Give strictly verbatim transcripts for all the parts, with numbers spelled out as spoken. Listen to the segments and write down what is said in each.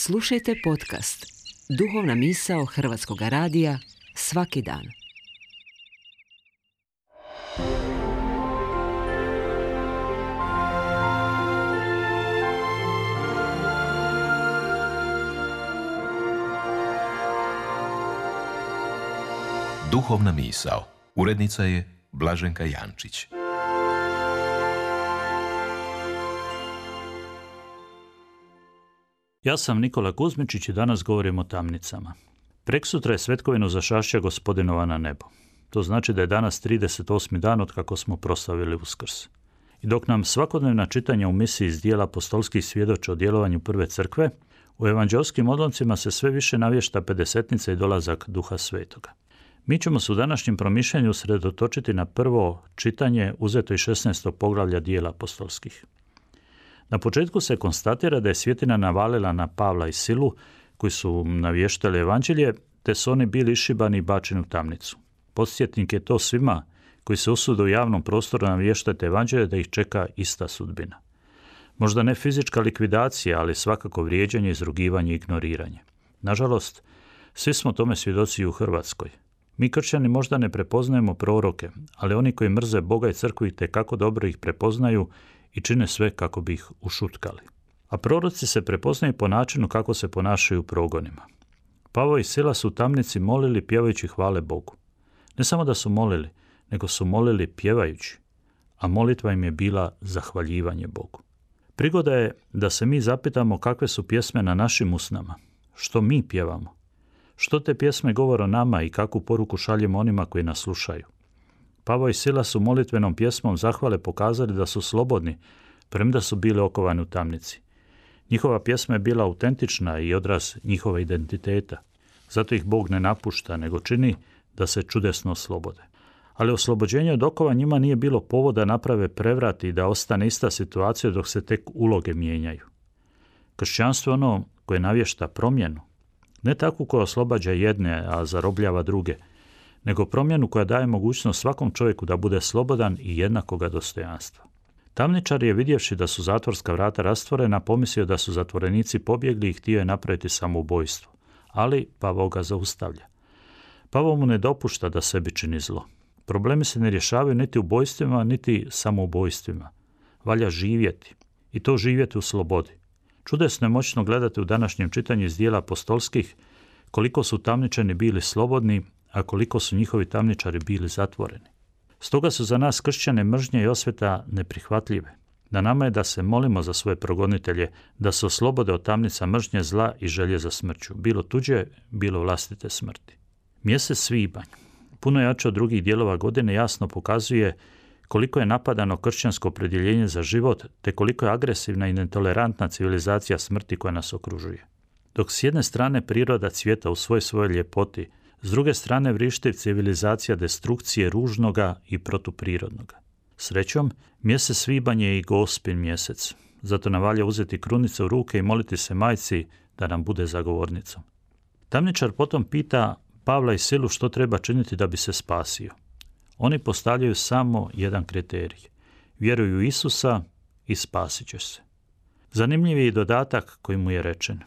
Slušajte podcast Duhovna misao Hrvatskog radija svaki dan. Duhovna misao. Urednica je Blaženka Jančić. Ja sam Nikola Kuzmičić i danas govorim o tamnicama. Preksutra je svetkovinu zašašća Gospodinova na nebo. To znači da je danas trideset osmi dan od kako smo proslavili Uskrs. I dok nam svakodnevna čitanja u misiji iz dijela apostolskih svjedoče o djelovanju prve crkve, u evanđelskim odlomcima se sve više navješta pedesetnica i dolazak Duha Svetoga. Mi ćemo se u današnjem promišljanju sredotočiti na prvo čitanje uzeto iz šesnaestog poglavlja dijela apostolskih. Na početku se konstatira da je svjetina navalila na Pavla i Silu, koji su navještali evanđelje, te su oni bili išibani i bačeni u tamnicu. Podsjetnik je to svima koji se usude u javnom prostoru navještati evanđelje da ih čeka ista sudbina. Možda ne fizička likvidacija, ali svakako vrijeđanje, izrugivanje i ignoriranje. Nažalost, svi smo tome svjedoci u Hrvatskoj. Mi kršćani možda ne prepoznajemo proroke, ali oni koji mrze Boga i crkvu itekako dobro ih prepoznaju i čine sve kako bi ih ušutkali. A proroci se prepoznaju po načinu kako se ponašaju u progonima. Pavao i Sila su u tamnici molili pjevajući hvale Bogu. Ne samo da su molili, nego su molili pjevajući, a molitva im je bila zahvaljivanje Bogu. Prigoda je da se mi zapitamo kakve su pjesme na našim usnama, što mi pjevamo, što te pjesme govore o nama i kakvu poruku šaljemo onima koji nas slušaju. Pavao i Sila su molitvenom pjesmom zahvale pokazali da su slobodni, premda su bili okovani u tamnici. Njihova pjesma je bila autentična i odraz njihova identiteta. Zato ih Bog ne napušta, nego čini da se čudesno oslobode. Ali oslobođenje od okova njima nije bilo povoda naprave prevrat i da ostane ista situacija dok se tek uloge mijenjaju. Kršćanstvo je ono koje navješta promjenu, ne takvu koja oslobađa jedne, a zarobljava druge, nego promjenu koja daje mogućnost svakom čovjeku da bude slobodan i jednakoga dostojanstva. Tamničar je, vidjevši da su zatvorska vrata rastvorena, pomislio da su zatvorenici pobjegli i htio je napraviti samoubojstvo, ali Pavao ga zaustavlja. Pavao mu ne dopušta da sebi čini zlo. Problemi se ne rješavaju niti ubojstvima, niti samoubojstvima. Valja živjeti, i to živjeti u slobodi. Čudesno je moćno gledati u današnjem čitanju iz dijela apostolskih koliko su tamničani bili slobodni, a koliko su njihovi tamničari bili zatvoreni. Stoga su za nas kršćane mržnje i osveta neprihvatljive. Na nama je da se molimo za svoje progonitelje, da se oslobode od tamnica mržnje, zla i želje za smrću, bilo tuđe, bilo vlastite smrti. Mjesec svibanj, puno jače od drugih dijelova godine, jasno pokazuje koliko je napadano kršćansko opredjeljenje za život, te koliko je agresivna i netolerantna civilizacija smrti koja nas okružuje. Dok s jedne strane priroda cvjeta u svoj svojoj ljepoti, s druge strane vrišti civilizacija destrukcije ružnoga i protuprirodnoga. Srećom, mjesec svibanj je i Gospin mjesec, zato nam valja uzeti krunice u ruke i moliti se majci da nam bude zagovornicom. Tamničar potom pita Pavla i Silu što treba činiti da bi se spasio. Oni postavljaju samo jedan kriterij. Vjeruju u Isusa i spasit ćeš se. Zanimljiv je i dodatak koji mu je rečen.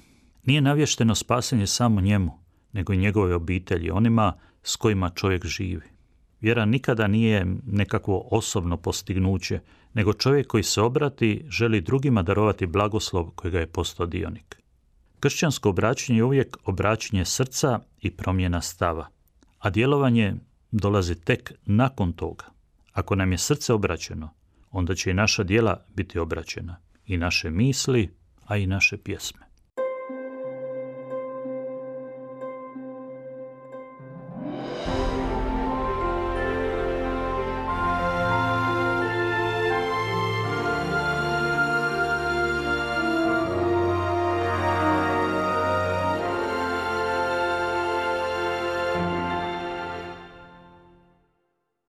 Nije navješteno spasenje samo njemu, nego i njegove obitelji, onima s kojima čovjek živi. Vjera nikada nije nekakvo osobno postignuće, nego čovjek koji se obrati želi drugima darovati blagoslov kojega je postao dionik. Kršćansko obraćanje je uvijek obraćanje srca i promjena stava, a djelovanje dolazi tek nakon toga. Ako nam je srce obraćeno, onda će i naša djela biti obraćena, i naše misli, a i naše pjesme.